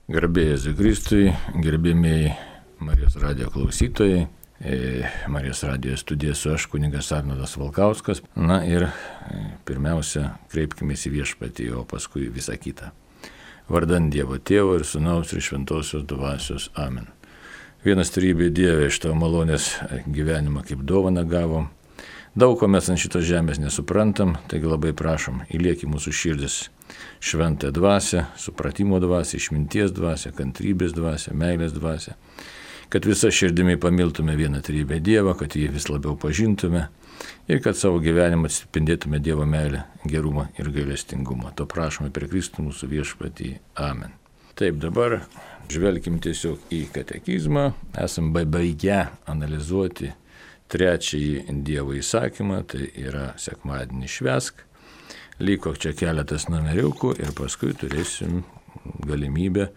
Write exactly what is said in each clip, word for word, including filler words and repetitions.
Garbė Jėzui Kristui, gerbėmiai Marijos radijo klausytojai, Marijos radijo studija su aš, kunigas Arnoldas Valkauskas. Na ir pirmiausia, kreipkimės į Viešpatį, o paskui visą kitą. Vardant Dievo Tėvo ir Sūnaus ir Šventosios Dvasios. Amen. Vienas trybė Dieve, iš tavo malonės gyvenimą kaip dovaną gavom. Daug ko mes ant šitos žemės nesuprantam, taigi labai prašom, įliek į mūsų širdis šventąją dvasią, supratimo dvasią, išminties dvasią, kantrybės dvasią, meilės dvasią, kad visą širdimi pamiltume vieną trybę Dievą, kad jį vis labiau pažintume ir kad savo gyvenimą atspindėtume Dievo meilę, gerumą ir gailestingumą. To prašome per Kristų mūsų Viešpatį. Amen. Taip, dabar žvelkim tiesiog į katekizmą. Esam baigę analizuoti trečiąjį Dievo įsakymą, tai yra sekmadienį švęsk. Liko čia keletas numeriukų ir paskui turėsim galimybę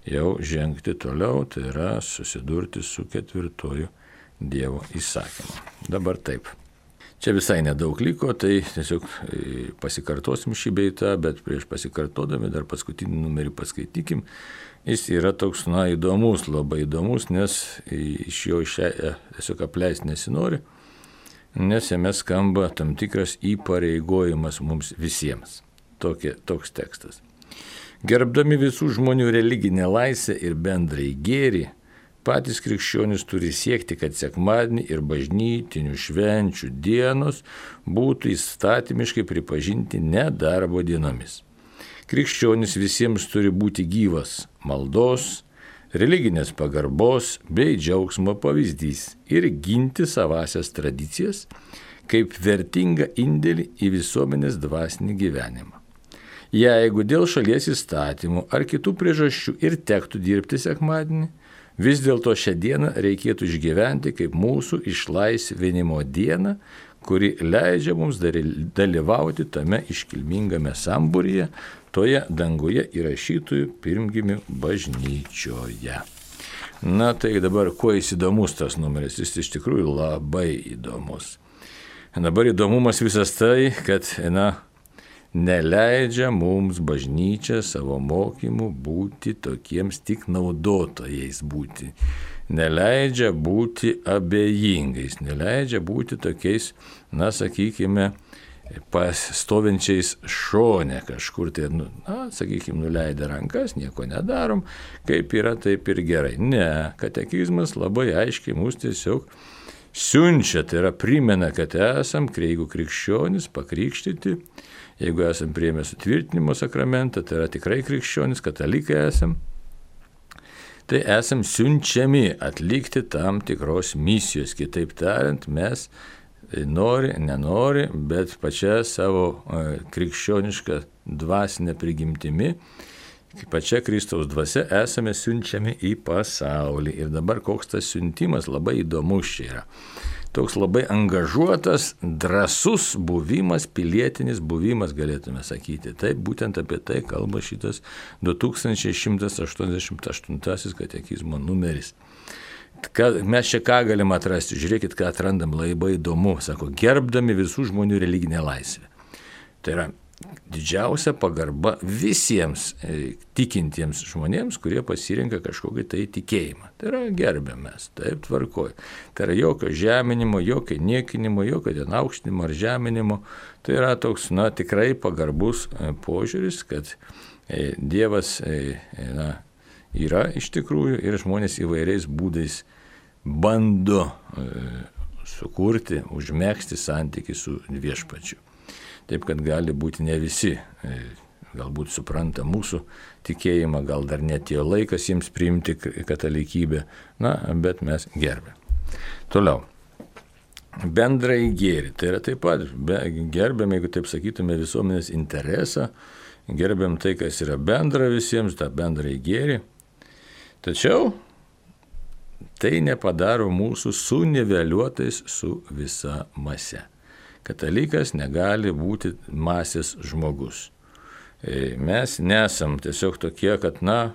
jau žengti toliau, tai yra susidurti su ketvirtoju Dievo įsakymu. Dabar taip. Čia visai nedaug liko, tai tiesiog pasikartosim šį beitą, bet prieš pasikartodami dar paskutinį numerį paskaitykim. Jis yra toks, na, įdomus, labai įdomus, nes iš jo išė, tiesiog apleisti nesinori, nes jame skamba tam tikras įpareigojimas mums visiems. Tokie, toks tekstas. Gerbdami visų žmonių religinę laisvę ir bendrai gėrį, patys krikščionys turi siekti, kad sekmadienį ir bažnytinių švenčių dienos būtų įstatymiškai pripažinti nedarbo dienomis. Krikščionys visiems turi būti gyvas maldos, religinės pagarbos bei džiaugsmo pavyzdys ir ginti savasias tradicijas kaip vertingą indėlį į visuomenės dvasinį gyvenimą. Jeigu dėl šalies įstatymų ar kitų priežasčių ir tektų dirbti sekmadienį, vis dėlto šią dieną reikėtų išgyventi kaip mūsų išlaisvinimo dieną, kuri leidžia mums dalyvauti tame iškilmingame sambūryje, toje danguje įrašytųjų pirmgimių bažnyčioje. Na tai dabar, kuo jis įdomus tas numeris? Jis iš tikrųjų labai įdomus. Dabar įdomumas visas tai, kad, na, neleidžia mums bažnyčia savo mokymų būti tokiems tik naudotojais būti. Neleidžia būti abejingais, neleidžia būti tokiais, na, sakykime, pastovinčiais šone kažkur, tai, nu, na, sakykime, nuleidę rankas, nieko nedarom, kaip yra, taip ir gerai. Ne, katekizmas labai aiškiai mus tiesiog siunčia, tai yra primena, kad esam, jeigu krikščionys, pakrikštyti, jeigu esam priėmę sutvirtinimo sakramentą, tai yra tikrai krikščionys, katalikai esam, tai esam siunčiami atlikti tam tikros misijos. Kitaip tariant, mes nori, nenori, bet pačia savo krikščionišką dvasinę prigimtimi, pačia Kristaus dvasia esame siunčiami į pasaulį. Ir dabar koks tas siuntimas labai įdomus čia yra. Toks labai angažuotas, drąsus buvimas, pilietinis buvimas, galėtume sakyti. Taip, būtent apie tai kalba šitas du tūkstančiai šimtas aštuoniasdešimt aštuntasis katekizmo numeris. Mes čia ką galim atrasti? Žiūrėkit, ką atrandam labai įdomu. Sako, gerbdami visų žmonių religinę laisvę. Tai yra didžiausia pagarba visiems e, tikintiems žmonėms, kurie pasirinka kažkokį tai tikėjimą. Tai yra gerbiam mes, taip tvarkoj. Tai yra jokio žeminimo, jokio niekinimo, jokio ten aukštinimo ar žeminimo. Tai yra toks, na, tikrai pagarbus e, požiūris, kad e, Dievas e, na, yra iš tikrųjų ir žmonės įvairiais būdais bando e, sukurti, užmegzti santykį su Viešpačiu. Taip, kad gali būti ne visi, e, galbūt supranta mūsų tikėjimą, gal dar netėjo laikas jiems priimti katalikybę, na, bet mes gerbėm. Toliau. Bendrai gėrį. Tai yra taip pat, gerbėm, jeigu taip sakytume, visuomenės interesą, gerbėm tai, kas yra bendra visiems, tą bendrai gėrį. Tačiau tai nepadaro mūsų suniveliuotais su visa mase. Katalikas negali būti masės žmogus. Mes nesam tiesiog tokie, kad, na,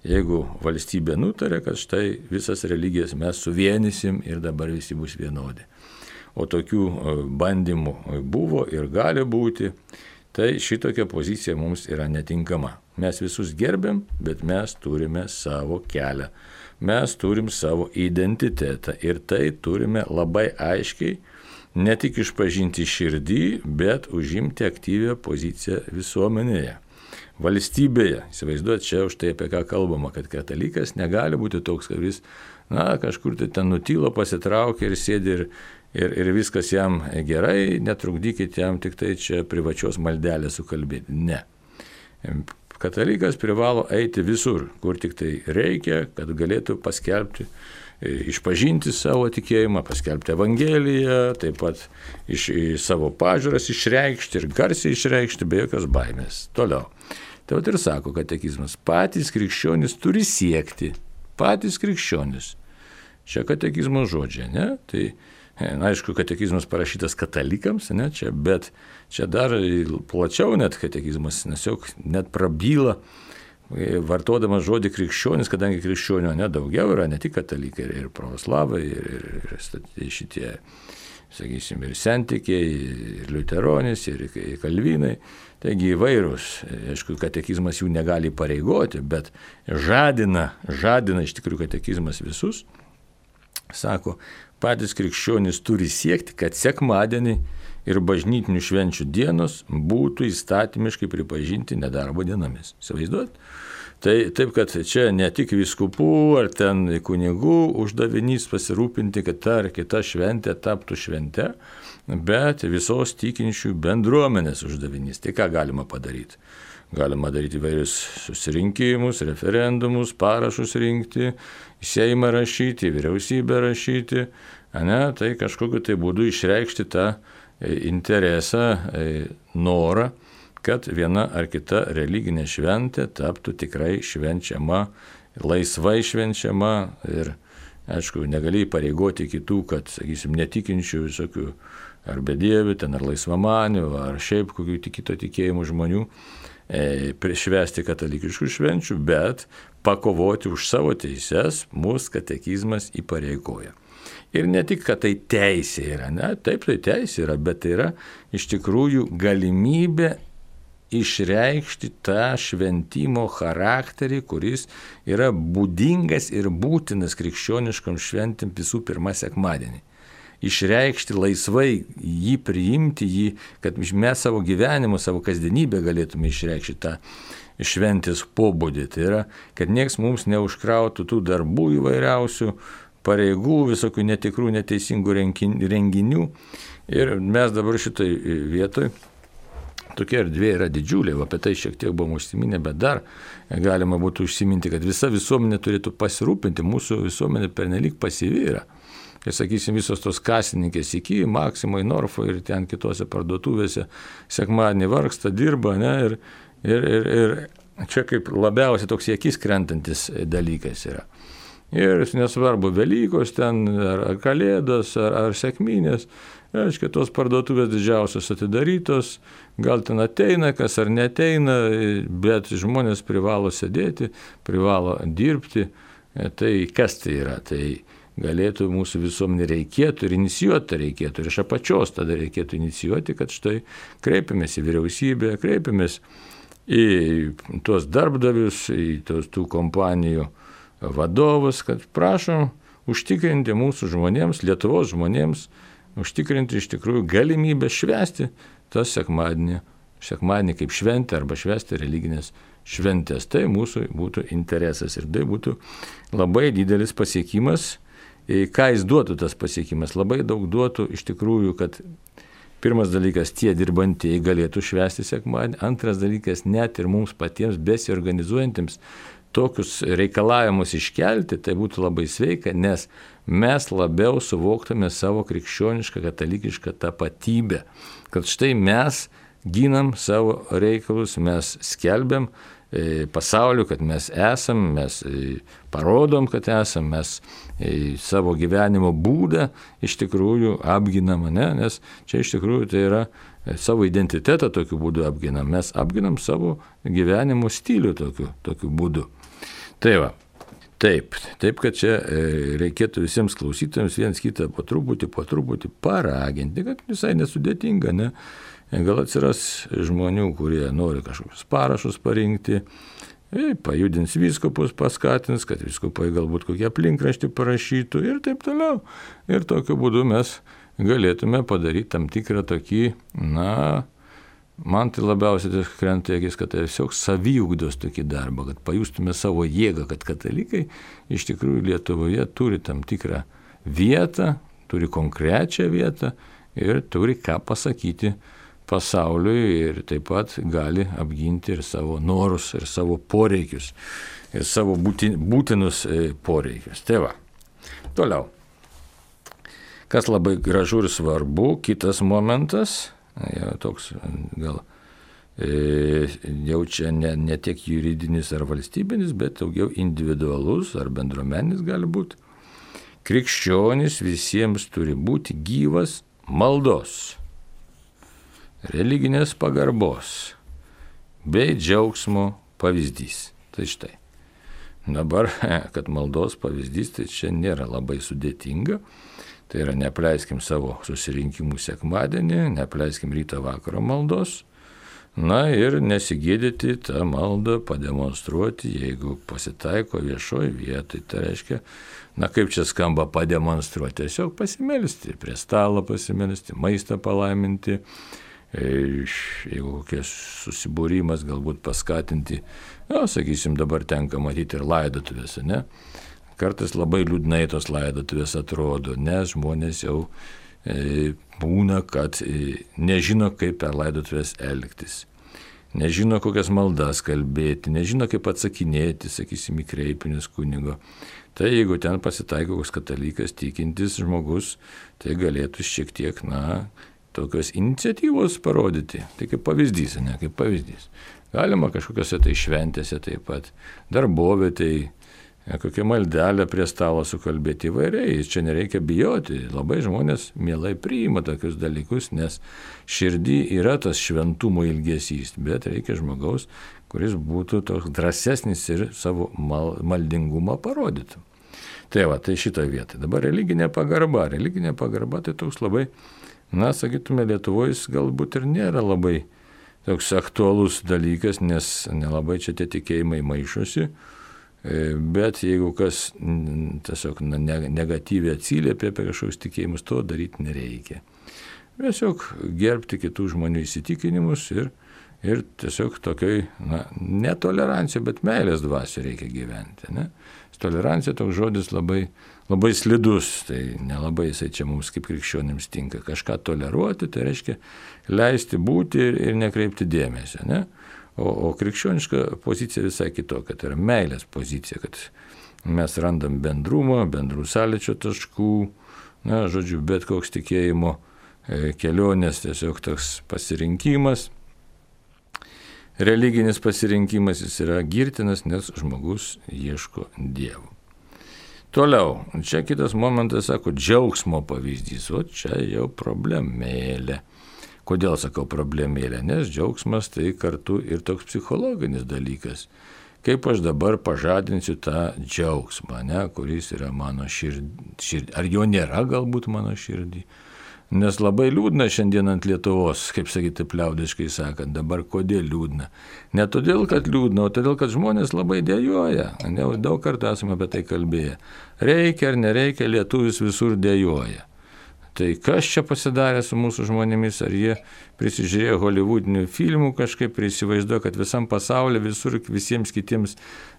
jeigu valstybė nutarė, kad štai visas religijas mes suvienysim ir dabar visi bus vienodi. O tokių bandymų buvo ir gali būti, tai šitokia pozicija mums yra netinkama. mes visus gerbiam, bet mes turime savo kelią. Mes turim savo identitetą ir tai turime labai aiškiai ne tik išpažinti širdį, bet užimti aktyvią poziciją visuomenėje, valstybėje. Įsivaizduot, čia už tai apie ką kalbama, kad katalikas negali būti toks, kad jis, na, kažkur tai ten nutylo, pasitraukia ir sėdi ir, ir, ir viskas jam gerai, netrukdykit jam tik tai čia privačios maldelės sukalbėti. Ne. Katalikas privalo eiti visur, kur tik tai reikia, kad galėtų paskelbti, išpažinti savo tikėjimą, paskelbti Evangeliją, taip pat iš, savo pažiūras išreikšti ir garsiai išreikšti be jokios baimės. Toliau. Tai vat ir sako katekizmas, patys krikščionys turi siekti, patys krikščionys. Čia katekizmo žodžiai, ne? Tai, na, aišku, katekizmas parašytas katalikams, ne, čia, bet čia dar plačiau net katekizmas, nes jau net prabyla, vartodamas žodį krikščionis, kadangi krikščionių nedaugiau yra, ne tik katalikai, ir pravoslavai, ir, ir, ir šitie, sakysim, ir sentikiai, ir liuteronis, ir kalvinai, taigi įvairūs, aišku, katekizmas jų negali pareigoti, bet žadina, žadina iš tikrųjų katekizmas visus, sako, patys krikščionys turi siekti, kad sekmadienį ir bažnytinių švenčių dienos būtų įstatymiškai pripažinti nedarbo dienomis. Įsivaizduot? Tai taip, kad čia ne tik vyskupų ar ten kunigų uždavinys pasirūpinti, kad ta ar kita šventė taptų švente, bet visos tikinčių bendruomenės uždavinys. Tai ką galima padaryti? Galima daryti įvairius susirinkimus, referendumus, parašus rinkti, į Seimą rašyti, į vyriausybę rašyti, ne, tai kažkokiu tai būdu išreikšti tą interesą, norą, kad viena ar kita religinė šventė taptų tikrai švenčiama, laisvai švenčiama ir, aišku, negali pareigoti kitų, kad, sakysim, netikinčių visokių ar bedievių, ten ar laisvamanių, ar šiaip kokių kito tikėjimų žmonių, švęsti katalikiškų švenčių, bet pakovoti už savo teises mūsų katekizmas įpareigoja. Ir ne tik, kad tai teisė yra, ne, taip tai teisė yra, bet tai yra iš tikrųjų galimybė išreikšti tą šventimo charakterį, kuris yra būdingas ir būtinas krikščioniškam šventėm visų pirma sekmadienį. Išreikšti laisvai, jį priimti, jį, kad mes savo gyvenimu, savo kasdienybę galėtume išreikšti tą šventės pobūdį. Tai yra, kad nieks mums neužkrautų tų darbų įvairiausių, pareigų, visokių netikrų, neteisingų renginių. Ir mes dabar šitoj vietoj, tokia erdvė yra didžiulė, apie tai šiek tiek buvom užsiminę, bet dar galima būtų užsiminti, kad visa visuomenė turėtų pasirūpinti, mūsų visuomenė pernelyg pasyvi yra. Ir, sakysim, visos tos kasininkės iki Maksimai, Norfo ir ten kitose parduotuvėse sekmadienį vargsta, dirba, ne, ir, ir, ir, ir čia kaip labiausiai toks į akis krentantis dalykas yra. Ir nesvarbu Velykos ten, ar, ar Kalėdos, ar, ar Sekminės, aiškiai, tos parduotuvės didžiausios atidarytos, gal ten ateina, kas ar neteina, bet žmonės privalo sėdėti, privalo dirbti. Tai kas tai yra? Tai galėtų mūsų visuomenė reikėtų ir inicijuoti reikėtų, ir iš apačios tada reikėtų inicijuoti, kad štai kreipiamės į vyriausybę, kreipiamės į tuos darbdavius, į tos tų kompanijų vadovus, kad prašom užtikrinti mūsų žmonėms, Lietuvos žmonėms, užtikrinti iš tikrųjų galimybę švęsti tas sekmadienį, sekmadienį kaip šventę arba švęsti religinės šventės. Tai mūsų būtų interesas ir tai būtų labai didelis pasiekimas. Ką jis duotų tas pasiekimas? Labai daug duotų iš tikrųjų, kad pirmas dalykas, tie dirbantieji galėtų švęsti sekmadienį, antras dalykas, net ir mums patiems besiorganizuojantiems tokius reikalavimus iškelti, tai būtų labai sveika, nes mes labiau suvoktume savo krikščionišką, katalikišką tapatybę, kad štai mes ginam savo reikalus, mes skelbiam pasauliu, kad mes esam, mes parodom, kad esam, mes savo gyvenimo būdą iš tikrųjų apginam, ne? Nes čia iš tikrųjų tai yra savo identitetą tokiu būdu apginam, mes apginam savo gyvenimo stilių tokiu, tokiu būdu. Tai va, taip, taip, kad čia reikėtų visiems klausytojams viens kitą po truputį, po truputį paraginti, kad visai nesudėtinga, ne? gal atsiras žmonių, kurie nori kažkokius parašus parinkti, pajudins vyskupus, paskatins, kad vyskupai galbūt kokie aplinkraštį parašytų ir taip toliau. Ir tokiu būdu mes galėtume padaryti tam tikrą tokį, na, man tai labiausiai krenta į akis, kad tai tiesiog saviugdos tokį darbą, kad pajustume savo jėgą, kad katalikai iš tikrųjų Lietuvoje turi tam tikrą vietą, turi konkrečią vietą ir turi ką pasakyti pasauliui ir taip pat gali apginti ir savo norus, ir savo poreikius, ir savo būtinus poreikius. Tai va. Toliau. Kas labai gražu ir svarbu, kitas momentas, jau toks gal e, jau čia ne, ne tiek juridinis ar valstybinis, bet daugiau individualus ar bendruomeninis gali būti. Krikščionis visiems turi būti gyvas maldos, religinės pagarbos bei džiaugsmo pavyzdys. Tai štai. Dabar, kad maldos pavyzdys, tai čia nėra labai sudėtinga. Tai yra, neapleiskim savo susirinkimų sekmadienį, neapleiskim ryto vakaro maldos. Na ir nesigėdyti tą maldą pademonstruoti, jeigu pasitaiko viešoje vietoje. Tai reiškia, na kaip čia skamba pademonstruoti, tiesiog pasimelsti, prie stalo pasimelsti, maistą palaiminti, jeigu kokias susibūrimas galbūt paskatinti, na, sakysim, dabar tenka matyti ir laidotuvės, ne? Kartais labai liūdnai tos laidotuvės atrodo, nes žmonės jau e, būna, kad e, nežino, kaip per laidotuvės elgtis, nežino, kokias maldas kalbėti, nežino, kaip atsakinėti, sakysim, į kreipinius kunigo. Tai jeigu ten pasitaiko koks katalikas, tikintis žmogus, tai galėtų šiek tiek, na, tokios iniciatyvos parodyti. Tai kaip pavyzdys, ne, kaip pavyzdys. Galima kažkokiose tai šventėse taip pat, darbovietėje, kokią maldelę prie stalo sukalbėti įvairiai. Čia nereikia bijoti. Labai žmonės mielai priima tokius dalykus, nes širdį yra tas šventumo ilgesys, bet reikia žmogaus, kuris būtų toks drąsesnis ir savo mal, maldingumą parodytų. Tai va, tai šitoje vietoje. Dabar religinė pagarba. Religinė pagarba tai toks labai, na, sakytume, Lietuvoje galbūt ir nėra labai toks aktualus dalykas, nes nelabai čia tie tikėjimai maišosi, bet jeigu kas tiesiog negatyviai atsiliepia apie kažkokius tikėjimus, to daryti nereikia. Tiesiog gerbti kitų žmonių įsitikinimus ir, ir tiesiog tokioj, na, netolerancija, bet meilės dvasia reikia gyventi, ne? Tolerancija toks žodis labai, labai slidus, tai nelabai jisai čia mums kaip krikščionims tinka. Kažką toleruoti, tai reiškia leisti būti ir, ir nekreipti dėmesio, ne? O, o krikščioniška pozicija visai kitokia, tai yra meilės pozicija, kad mes randam bendrumo, bendrų sąlyčio taškų, na, žodžiu, bet koks tikėjimo e, kelionės, tiesiog toks pasirinkimas. Religinis pasirinkimas jis yra girtinas, nes žmogus ieško Dievo. Toliau, čia kitas momentas, sako, džiaugsmo pavyzdys, o čia jau problemėlė. Kodėl sakau problemėlė? Nes džiaugsmas tai kartu ir toks psichologinis dalykas. Kaip aš dabar pažadinsiu tą džiaugsmą, ne, kuris yra mano širdį, širdį. Ar jo nėra galbūt mano širdį? Nes labai liūdna šiandien ant Lietuvos, kaip sakyti, liaudiškai sakant, dabar kodėl liūdna? Ne todėl, kad liūdna, o todėl, kad žmonės labai dejuoja. Ne, daug kartų esame apie tai kalbėję. Reikia ar nereikia, lietuvis visur dejuoja. Tai kas čia pasidarė su mūsų žmonėmis, ar jie prisižiūrėjo holivudinių filmų kažkaip, prisivaizduoja, kad visam pasaulyje, visur, visiems kitiems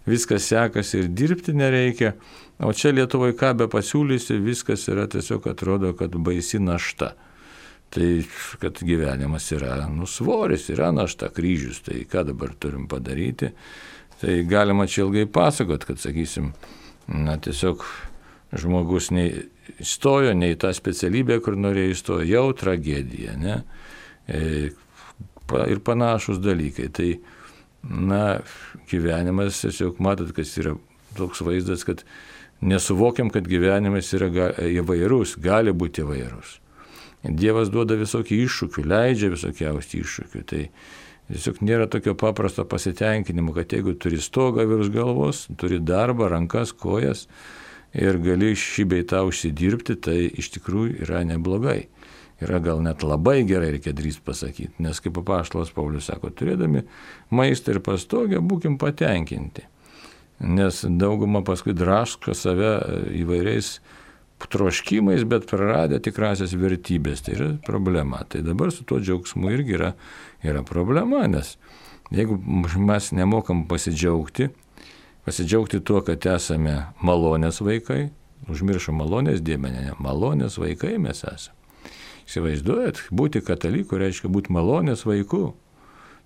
viskas sekasi ir dirbti nereikia, o čia Lietuvoje ką be pasiūlysi, viskas yra tiesiog atrodo, kad baisi našta. Tai, kad gyvenimas yra, nu, svoris, yra našta, kryžius, tai ką dabar turim padaryti, tai galima čia ilgai pasakot, kad, sakysim, na, tiesiog žmogus nei įstojo, nei tą specialybę, kur norėjo įstojo, jau tragedija, ne? E, pa, ir panašus dalykai. Tai, na, gyvenimas, tiesiog matot, kas yra toks vaizdas, kad nesuvokiam, kad gyvenimas yra ga, įvairus, gali būti įvairus. Dievas duoda visokių iššūkių, leidžia visokiausių iššūkių. Tai tiesiog nėra tokio paprasto pasitenkinimo, kad jeigu turi stogą virš galvos, turi darbą, rankas, kojas, ir gali šį bei tą užsidirbti, tai iš tikrųjų yra neblogai. yra gal net labai gerai, reikia drįst pasakyti, nes kaip apaštalas Paulius sako, turėdami maistą ir pastogę, būkim patenkinti. Nes dauguma paskui draško save įvairiais troškimais, bet praradę tikrasias vertybės. Tai yra problema. Tai dabar su tuo džiaugsmu irgi yra, yra problema, nes jeigu mes nemokam pasidžiaugti, pasidžiaugti tuo, kad esame malonės vaikai, užmiršom malonės dėmenę, malonės vaikai mes esame. Įsivaizduojat, būti kataliku reiškia būti malonės vaiku.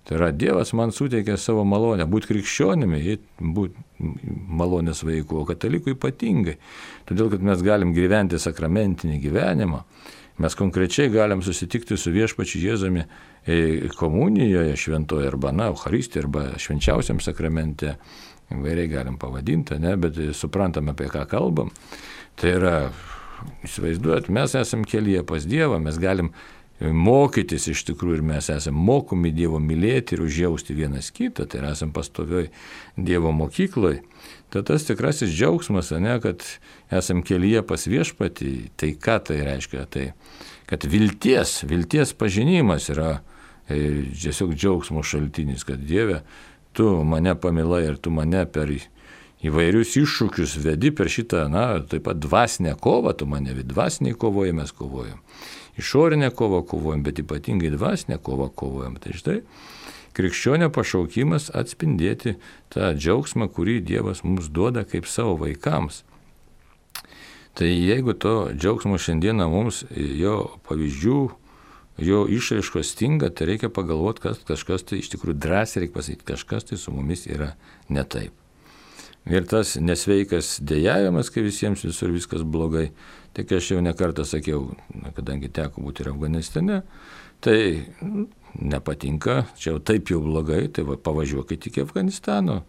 Tai yra Dievas man suteikė savo malonę, būti krikščionimi, būti malonės vaiku, o katalikų ypatingai. Todėl, kad mes galim gyventi sakramentinį gyvenimą, mes konkrečiai galim susitikti su viešpačiu Jėzumi komunijoje šventoje arba, na, Eucharistijoje arba švenčiausiam sakramente, įvairiai galim pavadinti, ne, bet suprantam, apie ką kalbam. Tai yra, įsivaizduojat, mes esam kelyje pas Dievą, mes galim mokytis iš tikrųjų ir mes esam mokomi Dievo mylėti ir užjausti vienas kitą, tai esam pastovioj Dievo mokykloje. Tai tas tikrasis džiaugsmas, ne, kad esam kelyje pas viešpatį, tai ką tai reiškia? Tai, kad vilties, vilties pažinimas yra e, tiesiog džiaugsmo šaltinis, kad Dieve, tu mane pamilai ir tu mane per įvairius iššūkius vedi per šitą, na, taip pat dvasinę kovą, tu mane vedi, dvasiniai kovoje mes kovojam. Išorinę kovą kovojam, bet ypatingai dvasinę kovą kovojam. Tai štai krikščionio pašaukimas atspindėti tą džiaugsmą, kurį Dievas mums duoda kaip savo vaikams. Tai jeigu to džiaugsmo šiandieną mums jo pavyzdžių, jo išraiškos stinga, tai reikia pagalvoti, kad kažkas tai iš tikrųjų drąsiai reikia pasakyti, kažkas tai su mumis yra ne taip. Ir tas nesveikas dėjavimas, kai visiems visur viskas blogai, tai kai aš jau nekartą sakiau, kadangi teko būti ir Afganistane, tai nepatinka, čia jau taip jau blogai, tai va, pavažiuokite iki Afganistano,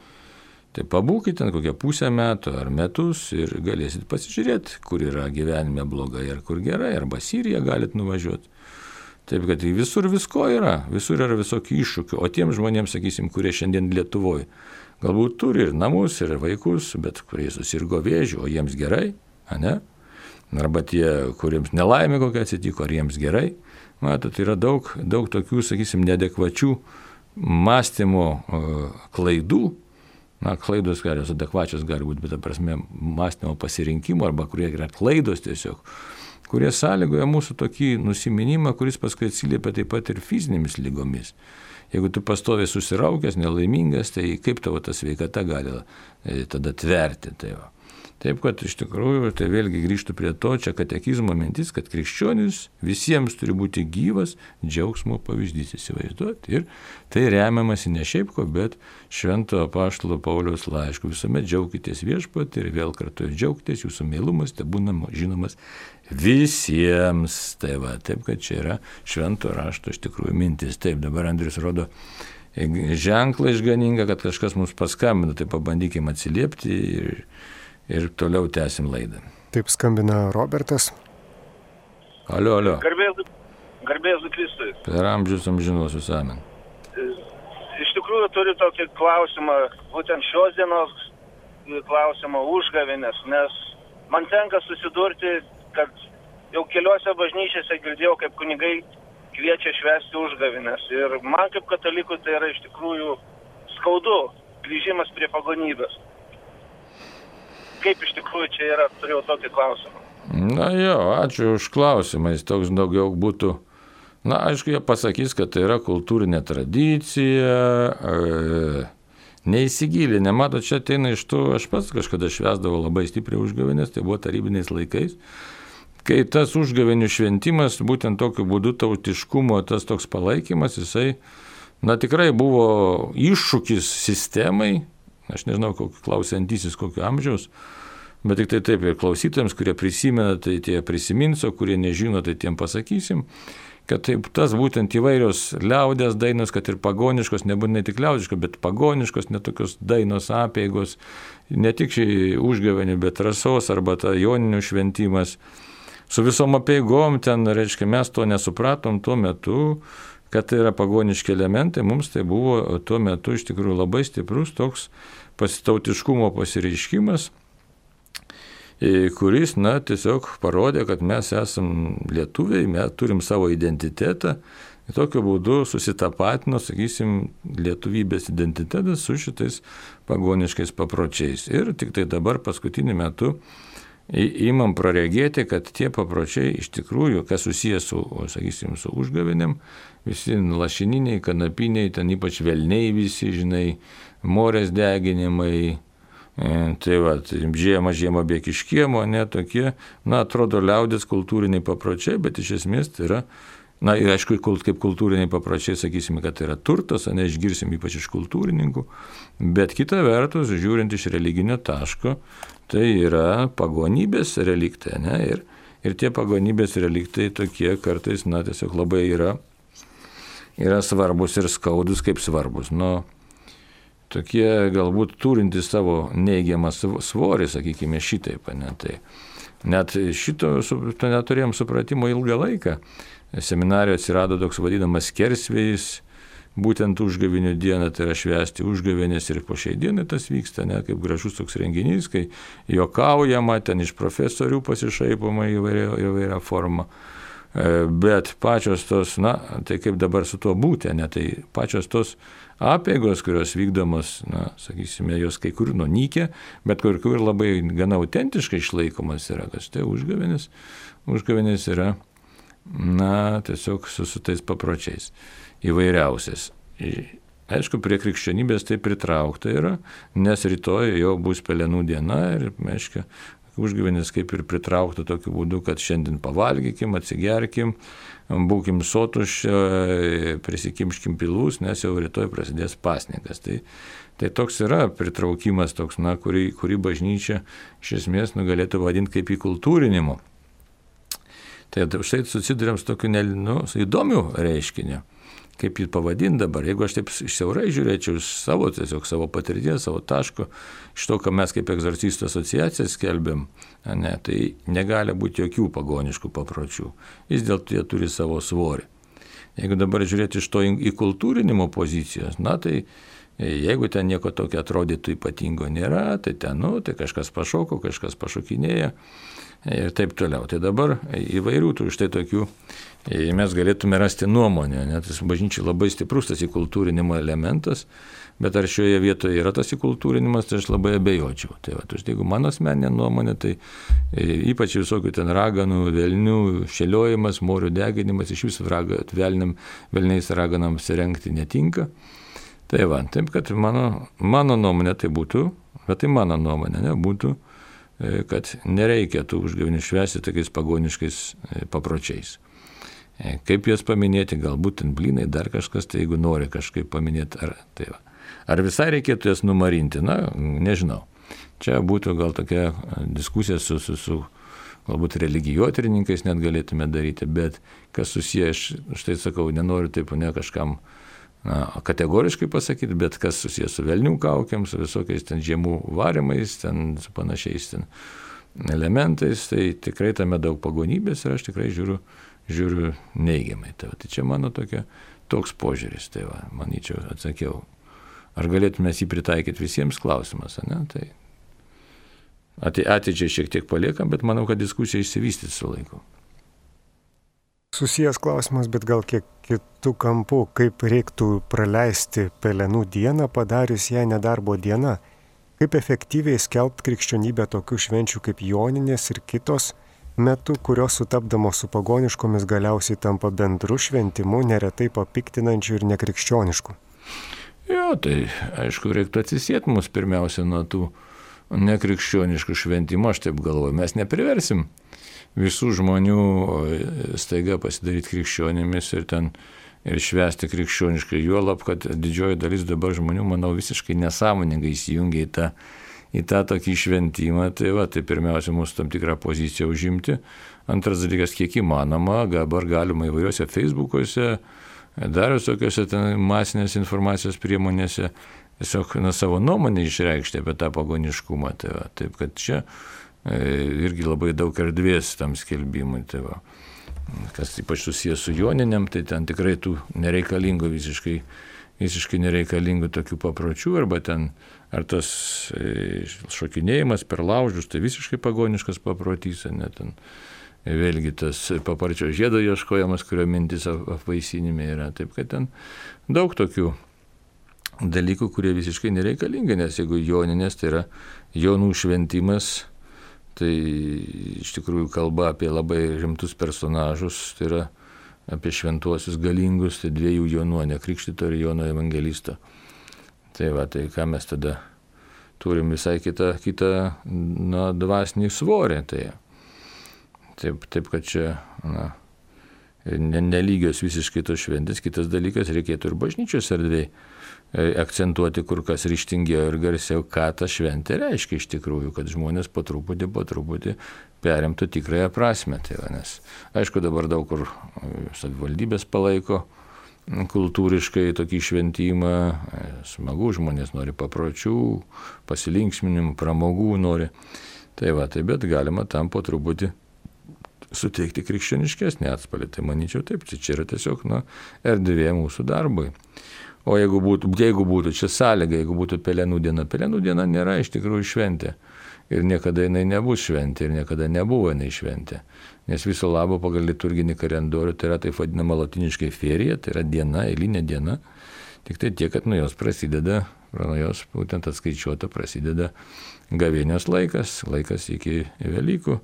tai pabūkite ten kokią pusę metų ar metus ir galėsit pasižiūrėti, kur yra gyvenime blogai ar kur gerai, arba Siriją galit nuvažiuoti. Taip, kad visur visko yra, visur yra visokių iššūkių, o tiem žmonėms, sakysim, kurie šiandien Lietuvoje, galbūt turi ir namus, ir vaikus, bet kurie susirgo vėžiu, o jiems gerai, ne? Arba tie, kuriems nelaimė kokia atsitiko, ar jiems gerai. Matot, yra daug, daug tokių, sakysim, neadekvačių mąstymo klaidų. Na, klaidos gali, adekvačios gali būti, bet, ta prasme, mąstymo pasirinkimo, arba kurie yra klaidos tiesiog, kurie sąlygoja mūsų tokį nusiminimą, kuris paskui atsiliepia taip pat ir fizinėmis lygomis. Jeigu tu pastoviai susiraukęs, nelaimingas, tai kaip tavo ta sveikata gali tada tverti. Tai va. Taip, kad iš tikrųjų, tai vėlgi grįžtų prie to, čia katekizmo mintis, kad krikščionis visiems turi būti gyvas džiaugsmo pavyzdys, įsivaizduoti. Ir tai remiamasi ne šiaip ko, bet švento apaštalo Pauliaus laišku. Visuomet džiaukitės viešpatį ir vėl kartu džiaukitės, jūsų meilumas te būna žinomas visiems. Tai va, taip, kad čia yra švento rašto iš tikrųjų mintis. Taip, dabar Andrius rodo ženklą išganingą, kad kažkas mums paskambino, tai pabandykime atsiliepti ir Ir toliau tęsim laidą. Taip skambina Robertas. Alio, alio. Garbėzu Kristui. Per amžius amžinuosius amen. Iš tikrųjų turiu tokį klausimą, būtent šios dienos klausimą užgavėnės, nes man tenka susidurti, kad jau keliose bažnyčiose girdėjau, kaip kunigai kviečia švęsti užgavėnės. Ir man kaip katalikui tai yra iš tikrųjų skaudu, grįžimas prie pagonybės. Kaip iš tikrųjų čia yra, turėjau tokį klausimą. Na jo, ačiū už klausimą, jis toks daugiau būtų, na aišku, jie pasakys, kad tai yra kultūrinė tradicija, e, neįsigilinę, mato, čia ateina iš to, aš pats kažkada švęsdavau labai stipriai užgavėnės, tai buvo tarybiniais laikais, kai tas užgavėnių šventimas, būtent tokiu būdu tautiškumo, tas toks palaikymas, jisai, na tikrai buvo iššūkis sistemai. Aš nežinau, kokį klausantysis, kokio amžiaus, bet tik tai taip ir klausytojams, kurie prisimena, tai tie prisimins, o kurie nežino, tai tiem pasakysim, kad taip, tas būtent įvairios liaudės dainos, kad ir pagoniškos, nebūtinai tik liaudiškos, bet pagoniškos, netokios dainos apeigos, ne tik užgavėnių, bet rasos arba ta joninių šventimas. Su visom apeigom ten, reiškia, mes to nesupratom tuo metu, kad tai yra pagoniški elementai, mums tai buvo tuo metu iš tikrųjų labai stiprus toks pasitautiškumo pasireiškimas. kuris, na, tiesiog parodė, kad mes esam lietuviai, mes turim savo identitetą. Ir tokiu būdu susitapatino, sakysim, lietuvybės identitetas su šitais pagoniškais papročiais. Ir tik tai dabar paskutiniu metu įmam praregėti, kad tie papročiai iš tikrųjų, kas susijęs su, sakysim, su užgavėnėm, visi lašininiai, kanapiniai, ten ypač velniai visi, žinai, morės deginimai, tai va, žiema, žiema bėk iš kiemo, ne tokie, na, atrodo liaudės kultūriniai papročiai, bet iš esmės tai yra, na, ir aišku, kaip kultūriniai papročiai, sakysime, kad tai yra turtas, ne, išgirsim ypač iš kultūrininkų, bet kita vertus, žiūrint iš religinio taško, tai yra pagonybės reliktai, ne, ir, ir tie pagonybės reliktai tokie kartais, na, tiesiog labai yra, yra svarbus ir skaudus kaip svarbus, nu, tokie galbūt turintys savo neigiamą svorį, sakykime, šitaip, ne, tai net šito to neturėjom supratimo ilgą laiką. Seminarijoje atsirado toks vadinamas skersvėjis, būtent užgavinių dieną, tai yra švęsti užgavinės ir po šiai dienai tas vyksta, ne, kaip gražus toks renginys, kai juokaujama, ten iš profesorių pasišaipoma įvairia, įvairia forma. Bet pačios tos, na, tai kaip dabar su tuo būti, ne, tai pačios tos apeigos, kurios vykdomos, na, sakysime, jos kai kur nunykę, bet kur kur labai gana autentiškai išlaikomas yra, kad štai užgavinės, užgavinės yra, na, tiesiog su, su tais papročiais įvairiausiais. Aišku, prie krikščionybės tai pritraukta yra, nes rytoj jau bus pelenų diena ir, aišku, užgavinės kaip ir pritraukta tokiu būdu, kad šiandien pavalgykim, atsigerkim, būkim sotuš, prisikimškim pilus, nes jau rytoj prasidės pasninkas. Tai, tai toks yra pritraukimas, toks, na, kurį, kurį bažnyčia iš esmės nu, galėtų vadinti kaip įkultūrinimu. Tai štai susidurėm su tokiu nu, įdomiu reiškiniu, kaip jį pavadinti dabar. Jeigu aš taip siaurai žiūrėčiau iš savo, tiesiog savo patirties, savo taško, iš to, ką mes kaip egzorcistų asociacija skelbėm, ne, tai negali būti jokių pagoniškų papročių. Vis dėlto jie turi savo svorį. Jeigu dabar žiūrėti iš to įkultūrinimo pozicijos, na tai jeigu ten nieko tokio atrodytų ypatingo nėra, tai ten, nu, tai kažkas pašoko, kažkas pašokinėja. Ir taip toliau. Tai dabar įvairių tų štai tokių mes galėtume rasti nuomonę. Net bažnyčiai labai stiprus tas įkultūrinimo elementas, bet ar šioje vietoje yra tas įkultūrinimas, tai aš labai abejočiau. Tai va, jeigu mano asmeninė nuomonė, tai ypač visokių ten raganų, velnių, šėliojimas, morių deginimas, iš viso raga, velniam, velniais raganams rengti netinka. Tai va, taip, kad mano, mano nuomonė tai būtų, bet tai mano nuomonė, ne, būtų, kad nereikia tų užgavinių švęsti tokiais pagoniškais papročiais. Kaip juos paminėti, galbūt ten blynai, dar kažkas, tai jeigu nori kažkaip paminėti, ar, tai va. Ar visai reikėtų jas numarinti, na, nežinau. Čia būtų gal tokia diskusija su, su, su galbūt religijotyrininkais net galėtume daryti, bet kas susiję, aš štai sakau, nenoriu taip ne kažkam na, kategoriškai pasakyti, bet kas susijęs su velnių kaukiam, su visokiais ten žiemų varimais, ten su panašiais ten elementais, tai tikrai tame daug pagonybės ir aš tikrai žiūriu, žiūriu neigiamai. Tai, tai čia mano tokia, toks požiūris, tai va, manyčiau, atsakiau. Ar galėtume jį pritaikyti visiems klausimas, ne? Tai atidžiai šiek tiek paliekam, bet manau, kad diskusija išsivystys su laiku. Susijęs klausimas, bet gal kiek kitų kampų, kaip reiktų praleisti pelenų dieną, padarius ją nedarbo diena, kaip efektyviai skelbti krikščionybę tokių švenčių kaip Joninės ir kitos metu, kurios sutapdamos su pagoniškomis galiausiai tampa bendru šventimu, neretai papiktinančiu ir nekrikščionišku. Jo, tai aišku, reiktų atsisieti mus pirmiausia nuo tų nekrikščioniškų šventimų, aš taip galvoju, mes nepriversim visų žmonių staiga pasidaryti krikščionimis ir ten ir švęsti krikščioniškai, juolab, kad didžioji dalis dabar žmonių, manau, visiškai nesąmoningai įsijungia į tą, į tą tokį šventimą, tai va, tai pirmiausia, mūsų tam tikrą poziciją užimti. Antras dalykas, kiek įmanoma, dabar galima įvairiuose Facebookuose, dar visokiuose ten masinės informacijos priemonėse tiesiog na, savo nuomonę išreikšti apie tą pagoniškumą, tai va, taip kad čia irgi labai daug erdvės tam skelbimui. Tai va. Kas ypač susijęs su Joninėm, tai ten tikrai tų nereikalingų visiškai visiškai nereikalingų tokių papročių, arba ten, ar tas šokinėjimas per laužus, tai visiškai pagoniškas paprotys, net ten vėlgi tas paparčio žiedo ieškojimas, kurio mintis apvaisinime yra. Taip, kad ten daug tokių dalykų, kurie visiškai nereikalingi, nes jeigu joninės, tai yra jonų šventimas, tai iš tikrųjų kalba apie labai rimtus personažus, tai yra apie šventuosius galingus, tai dviejų jonų, ne Krikštyto ir Jono Evangelisto. Tai va, tai ką mes tada turim visai kitą, kitą na, dvasinį svorį. Tai, taip, taip, kad čia na, nelygios visiškai tos šventės. Kitas dalykas, reikėtų ir bažnyčios erdvėj akcentuoti kur kas ryštingiau ir garsiau, ką ta šventė reiškia iš tikrųjų, kad žmonės po truputį, po truputį perimtų tikrąją prasmę. Tai va, nes aišku, dabar daug kur savivaldybės palaiko kultūriškai tokį šventimą, smagu, žmonės nori papročių, pasilinksminimų, pramogų nori. Tai va, tai bet galima tam po truputį suteikti krikščioniškesnį atspalvį. Tai manyčiau taip, čia yra tiesiog na, erdvė mūsų darbui. O jeigu būtų, jeigu būtų čia sąlyga, jeigu būtų pelenų diena, pelenų diena nėra iš tikrųjų šventė. Ir niekada jinai nebus šventė, ir niekada nebuvo jinai šventė. Nes viso labo pagal liturginį kalendorių tai yra taip vadinama latiniškai ferija, tai yra diena, eilinė diena. Tik tai tiek, kad nuo jos prasideda, nuo jos būtent atskaičiuota prasideda gavėnios laikas, laikas iki Velykų,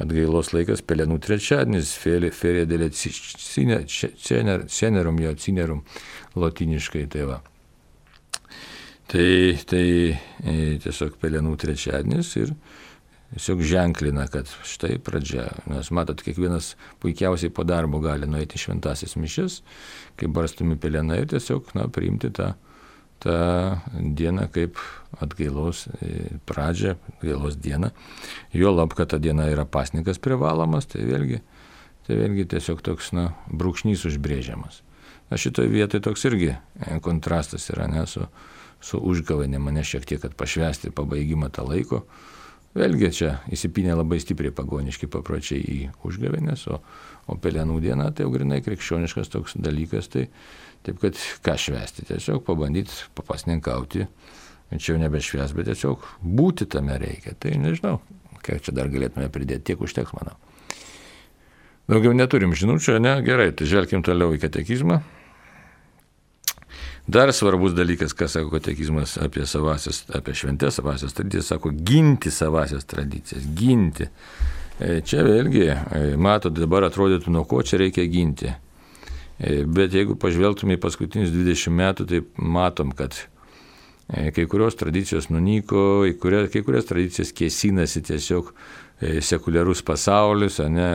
atgailos laikas pelenų trečiadienis, ferija dėlė cenerum, jo cinerum, latiniškai tai va. Tai, tai tiesiog pelenų trečiadienis ir tiesiog ženklina, kad štai pradžia. Nes matot, kiekvienas puikiausiai po darbo gali nueiti šventasis mišias, kai barstomi pelenai ir tiesiog na, priimti tą, tą dieną kaip atgailos pradžią, atgailos dieną. Juolab, kad ta diena yra pasninkas privalomas, tai vėlgi, tai vėlgi tiesiog toks na, brūkšnys užbrėžiamas. Na šitoje vietoje toks irgi kontrastas yra ne, su, su užgavėne, mane šiek tiek, kad pašvęsti pabaigimą tą laiko. Vėlgi čia įsipinė labai stipriai pagoniški papročiai į užgavėnės, o, o pelenų diena tai jau grinai krikščioniškas toks dalykas, tai taip kad ką švęsti, tiesiog pabandyti papasninkauti, čia jau nebešvęs, bet tiesiog būti tame reikia, tai nežinau, kiek čia dar galėtume pridėti, tiek užteks, manau. Daugiau neturim žinučių, ne? Gerai, tai žvelkim toliau į katekizmą. Dar svarbus dalykas, ką sako katekizmas apie savasias, apie šventės, savasias tradicijas, sako ginti savasias tradicijas, ginti. Čia vėlgi, matot, dabar atrodytų, nuo ko čia reikia ginti. Bet jeigu pažvelgtume į paskutinius dvidešimt metų, tai matom, kad kai kurios tradicijos nunyko, kai kurias, kai kurias tradicijas kėsinasi tiesiog sekuliarus pasaulis, ne?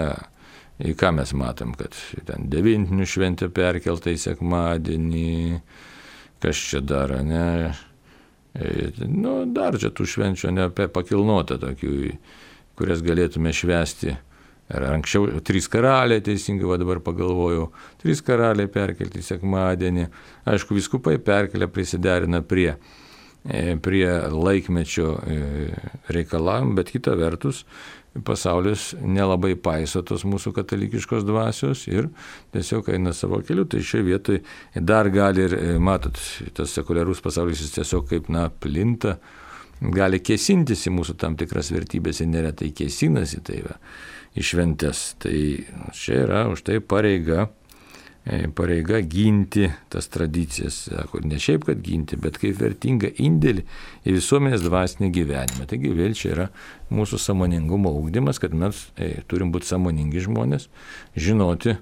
Į ką mes matom, kad ten devintinių šventė perkelta į sekmadienį, kas čia dar, ne? Nu, dar čia tų švenčių ne pakilnota tokių, kurias galėtume švęsti. Ir anksčiau trys karaliai, teisingai va dabar pagalvojau, trys karaliai perkelti į sekmadienį. Aišku, vyskupai perkelia, prisiderina prie, prie laikmečio reikalavimų, bet kita vertus, pasaulis nelabai paiso tos mūsų katalikiškos dvasios ir tiesiog eina savo keliu, tai šioje vietoje dar gali ir, matot, tas sekuliarus pasaulis jis tiesiog kaip, na, plinta, gali kėsintis į mūsų tam tikras vertybės ir neretai kėsinasi tai va, į šventes. Tai čia yra už tai pareiga, pareiga ginti tas tradicijas, sako, ne šiaip, kad ginti, bet kaip vertingą indėlį į visuomenės dvasinį gyvenimą. Taigi vėl čia yra mūsų sąmoningumo ugdymas, kad mes e, turim būti sąmoningi žmonės, žinoti,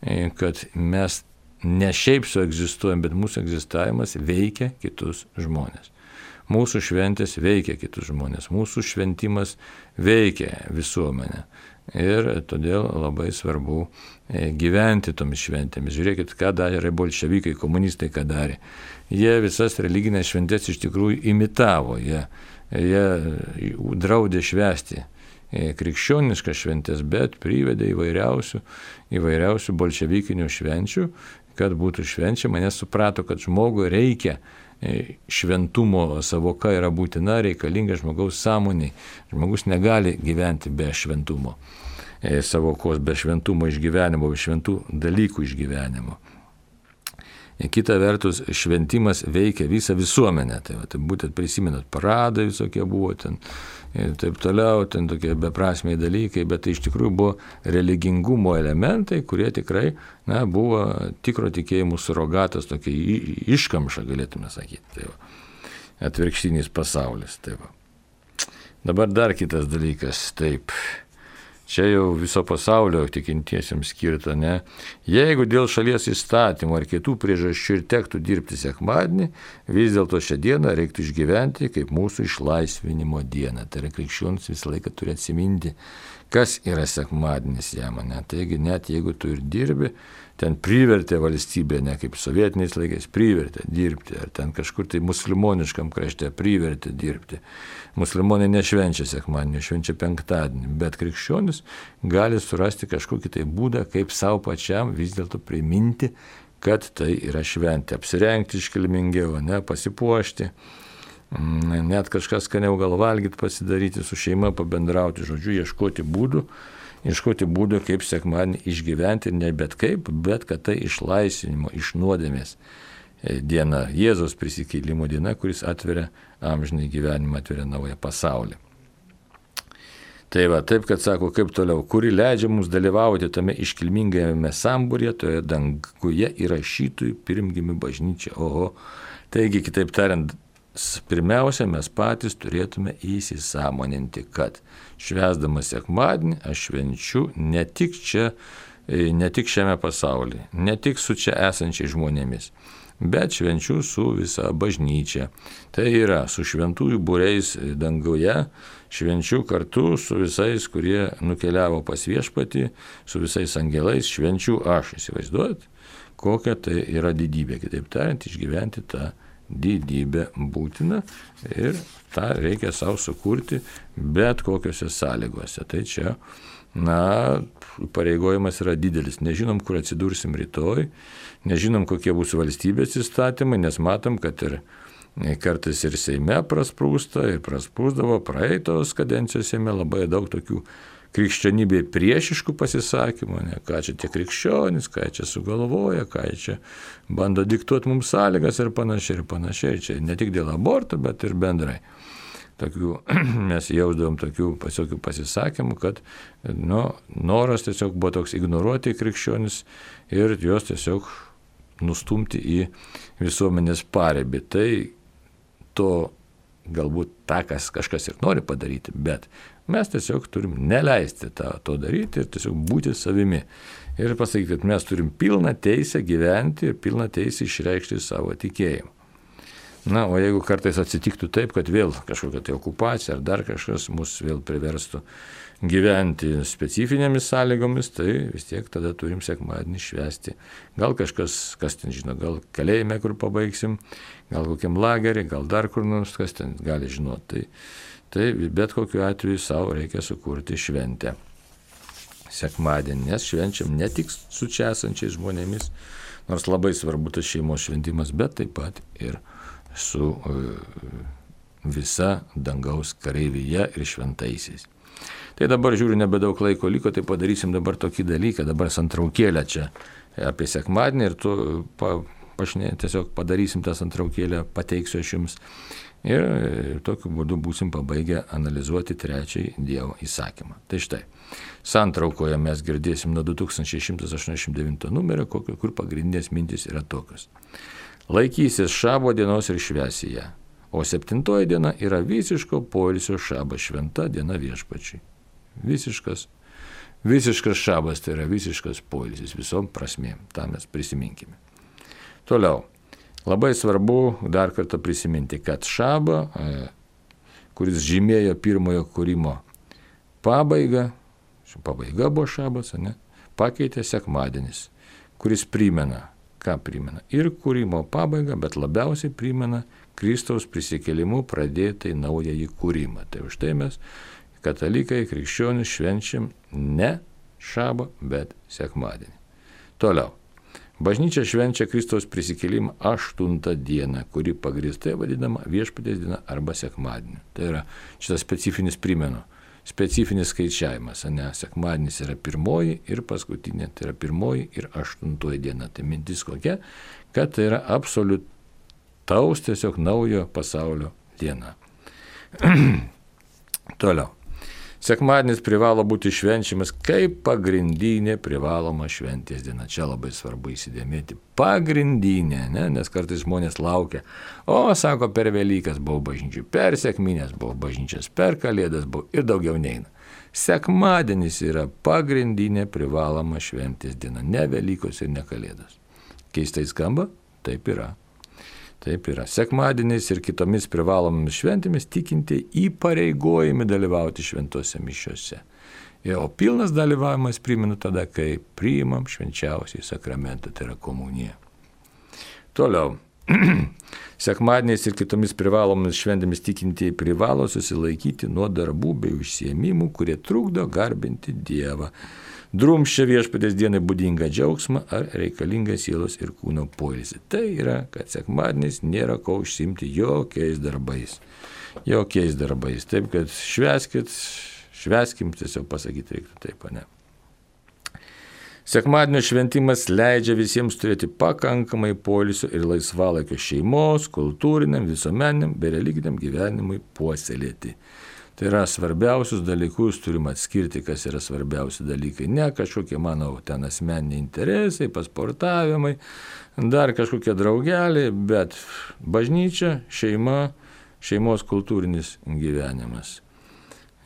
e, kad mes ne šiaip su egzistuojam, bet mūsų egzistavimas veikia kitus žmonės. Mūsų šventės veikia kitus žmonės, mūsų šventimas veikia visuomenę. Ir todėl labai svarbu gyventi tomis šventėmis. Žiūrėkit, ką darė bolševikai, komunistai, ką darė. Jie visas religinės šventės iš tikrųjų imitavo. Jie, jie draudė švęsti krikščioniškas šventės, bet privedė įvairiausių, įvairiausių bolševikinių švenčių, kad būtų švenčiama, nes suprato, kad žmogui reikia šventumo, savoka yra būtina, reikalinga žmogaus sąmoniai. Žmogus negali gyventi be šventumo, savokos, be šventumo išgyvenimo, be šventų dalykų išgyvenimo. kita vertus šventimas veikia visą visuomenę. Tai, va, tai būtent prisimenat, paradai visokie buvo ten ir taip toliau, ten tokie beprasmiai dalykai, bet tai iš tikrųjų buvo religingumo elementai, kurie tikrai na, buvo tikro tikėjimų surogatas, tokia iškamša, galėtume sakyti. Tai va, atvirkštinis pasaulis. Tai va. Dabar dar kitas dalykas, taip. Čia jau viso pasaulio tikintiesiems skirta, ne? Jeigu dėl šalies įstatymų ar kitų priežasčių ir tektų dirbti sekmadienį, vis dėlto šią dieną reiktų išgyventi kaip mūsų išlaisvinimo dieną. Tai yra krikščionis visą laiką turi atsiminti, kas yra sekmadienis jam, ne? Taigi net jeigu tu ir dirbi, ten privertė valstybė, ne kaip sovietiniais laikais, privertė dirbti, ar ten kažkur tai musulmoniškam krašte privertė dirbti. Musulmonai nešvenčia sekmadienį, švenčia penktadienį, bet krikščionis gali surasti kažkokį tai būdą, kaip savo pačiam vis dėlto priminti, kad tai yra šventė. Apsirengti iškilmingiau, ne, pasipuošti, net kažkas skaniau gal valgyti, pasidaryti su šeima, pabendrauti, žodžiu, ieškoti būdų, ieškoti būdų, kaip sekmadienį išgyventi, ne bet kaip, bet kad tai išlaisvinimo, iš nuodėmės diena, Jėzaus prisikėlimo diena, kuris atveria amžinai gyvenimą, atveria naują pasaulį. Tai va, taip, kad sako, kaip toliau, kuri leidžia mums dalyvauti tame iškilmingame sambūryje, toje danguje įrašytųjų pirmgimių bažnyčia. Oho, taigi, kitaip tariant, pirmiausia, mes patys turėtume įsisąmoninti, kad švęsdamas sekmadienį aš švenčiu ne tik čia, ne tik šiame pasaulyje, ne tik su čia esančiais žmonėmis, bet švenčiu su visa bažnyčia. Tai yra su šventųjų būriais danguje, švenčiu kartu su visais, kurie nukeliavo pas viešpatį, su visais angelais, švenčiu aš. Įsivaizduojat, kokia tai yra didybė. Kitaip tariant, išgyventi tą didybę būtina ir tą reikia savo sukurti bet kokiose sąlygose. Tai čia, na, pareigojimas yra didelis. Nežinom, kur atsidursim rytoj, nežinom, kokie bus valstybės įstatymai, nes matom, kad ir kartais ir Seime prasprūsta, ir prasprūsdavo praeitos kadencijos Seime labai daug tokių krikščionybėje priešiškų pasisakymų, ne, ką čia tie krikščionys, ką čia sugalvoja, ką čia bando diktuoti mums sąlygas ir panašiai, ir panašiai. Čia ne tik dėl aborto, bet ir bendrai. Tokių, mes jausdavom tokių pasiokių pasisakymų, kad nu, noras tiesiog buvo toks ignoruoti krikščionis ir juos tiesiog nustumti į visuomenės paribį. Tai to galbūt tą, kas kažkas ir nori padaryti, bet mes tiesiog turim neleisti tą, to daryti ir tiesiog būti savimi. Ir pasakyti, kad mes turim pilną teisę gyventi ir pilną teisę išreikšti savo tikėjimą. Na, o jeigu kartais atsitiktų taip, kad vėl kažkokia tai okupacija ar dar kažkas mus vėl priverstų gyventi specifinėmis sąlygomis, tai vis tiek tada turim sekmadienį švęsti. Gal kažkas, kas ten žino, gal kalėjime, kur pabaigsim, gal kokiam lagerį, gal dar kur nors, kas ten gali žinoti. Tai, tai bet kokiu atveju savo reikia sukurti šventę. Sekmadienį, nes švenčiam ne tik su čia esančiais žmonėmis, nors labai svarbu tas šeimos šventimas, bet taip pat ir su visa dangaus kareivyje ir šventaisiais. Tai dabar žiūriu, nebedaug laiko liko, tai padarysim dabar tokį dalyką, dabar santraukėlę čia apie sekmadienį ir tu pa, pašnė, tiesiog padarysim tą santraukėlę, pateiksiu aš jums ir tokiu būdu būsim pabaigę analizuoti trečiąjį Dievo įsakymą. Tai štai, santraukoje mes girdėsim nuo du tūkstančiai šimtas aštuoniasdešimt devinto numerio, kur pagrindinės mintys yra tokios. Laikysis šabo dienos ir švęsi ją, o septintoji diena yra visiško poilsio šabas, šventa diena viešpačiui. Visiškas, visiškas šabas, tai yra visiškas poilsis visom prasmėm, tą mes prisiminkime. Toliau, labai svarbu dar kartą prisiminti, kad šabą, kuris žymėjo pirmojo kūrimo pabaigą, pabaiga buvo šabas, ne, pakeitė sekmadienis, kuris primena, ką primena? Ir kūrimo pabaigą, bet labiausiai primena Kristaus prisikėlimu pradėtai naująjį kūrimą. Tai už tai mes, katalikai, krikščionys, švenčiam ne šabą, bet sekmadienį. Toliau. Bažnyčia švenčia Kristaus prisikėlimą aštuntą dieną, kuri pagrįstai vadinama viešpaties diena arba sekmadieniu. Tai yra šitas specifinis primenu. specifinis skaičiavimas, ne, sekmadienis yra pirmoji ir paskutinė, tai yra pirmoji ir aštuntoji diena. Tai mintis kokia, kad tai yra absoliutaus tiesiog naujo pasaulio diena. Toliau. Sekmadienis privalo būti švenčiamas kaip pagrindinė privaloma šventės diena. Čia labai svarbu įsidėmėti. Pagrindinė, ne? Nes kartais žmonės laukia. O, sako, per Velykas buvau bažnyčiai, per Sekminės buvau bažnyčias, per Kalėdas buvau ir daugiau neina. Sekmadienis yra pagrindinė privaloma šventės diena. Ne Velykos ir ne Kalėdos. Keistai skamba? Taip yra. Taip yra. Sekmadieniais ir kitomis privalomomis šventėmis tikintieji įpareigojami dalyvauti šventose mišiose. O pilnas dalyvavimas primenu tada, kai priimam švenčiausiai sakramentą, tai yra komuniją. Toliau. Sekmadieniais ir kitomis privalomomis šventėmis tikintieji privalo susilaikyti nuo darbų bei užsiėmimų, kurie trukdo garbinti Dievą. Drumsčia viešpatės dienai būdingą džiaugsmą ar reikalingą sielos ir kūno poilsį. Tai yra, kad sekmadienis nėra ko užsiimti jokiais darbais. Jokiais darbais. Taip, kad švęskit, švęskim, tiesiog pasakyti reiktų taip, ne. Sekmadienio šventimas leidžia visiems turėti pakankamai poilsio ir laisvalaikio šeimos, kultūriniam, visuomeniniam bei religiniam gyvenimui puoselėti. Tai yra svarbiausius dalykus, turim atskirti, kas yra svarbiausi dalykai. Ne kažkokie, manau, ten asmeniniai interesai, pasportavimai, dar kažkokie draugeliai, bet bažnyčia, šeima, šeimos kultūrinis gyvenimas,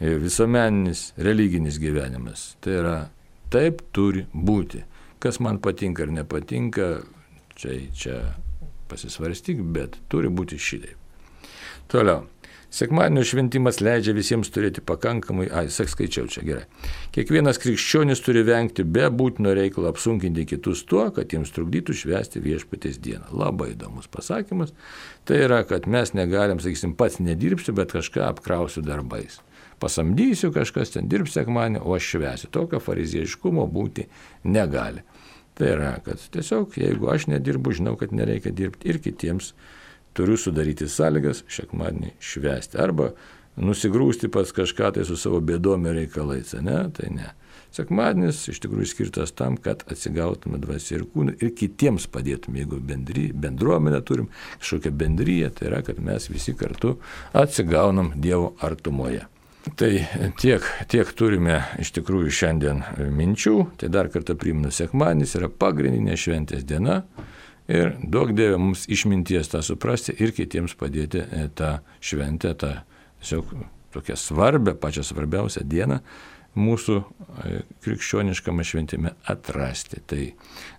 visuomeninis, religinis gyvenimas. Tai yra, taip turi būti. Kas man patinka ar nepatinka, čia, čia pasisvarstyk, bet turi būti šitaip. Toliau. Sekmadienio šventimas leidžia visiems turėti pakankamai, ai, sak skaičiau čia gerai. Kiekvienas krikščionis turi vengti be būtino reikalo apsunkinti kitus tuo, kad jiems trukdytų švęsti viešpaties dieną. Labai įdomus pasakymas. Tai yra, kad mes negalim, sakysim, pats nedirbsiu, bet kažką apkrausiu darbais. Pasamdysiu, kažkas ten dirbs sekmadienį, o aš švęsiu. Tokio fariziejiškumo būti negali. Tai yra, kad tiesiog, jeigu aš nedirbu, žinau, kad nereikia dirbti ir kitiems turiu sudaryti sąlygas sekmadienį švęsti. Arba nusigrūsti pas kažką tai su savo bėdom ir reikalais, ne? Tai ne. Sekmadienis iš tikrųjų skirtas tam, kad atsigautume dvasią ir kūną ir kitiems padėtume. Jeigu bendry, bendruomenę turim, kažkokią bendryją, tai yra, kad mes visi kartu atsigaunam Dievo artumoje. Tai tiek, tiek turime iš tikrųjų šiandien minčių. Tai dar kartą primenu, sekmadienis yra pagrindinė šventės diena. Ir duok Dieve mums išminties tą suprasti ir kitiems padėti tą šventę, tą tiesiog tokią svarbę, pačią svarbiausią dieną mūsų krikščioniškame šventime atrasti. Tai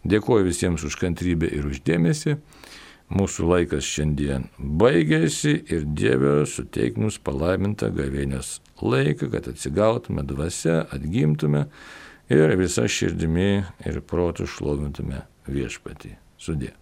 dėkuoju visiems už kantrybę ir už dėmesį. Mūsų laikas šiandien baigėsi ir Dieve suteik mums palaimintą gavėnios laiką, kad atsigautume dvasia, atgimtume ir visą širdimi ir protu šlovintume viešpatį. Sudie.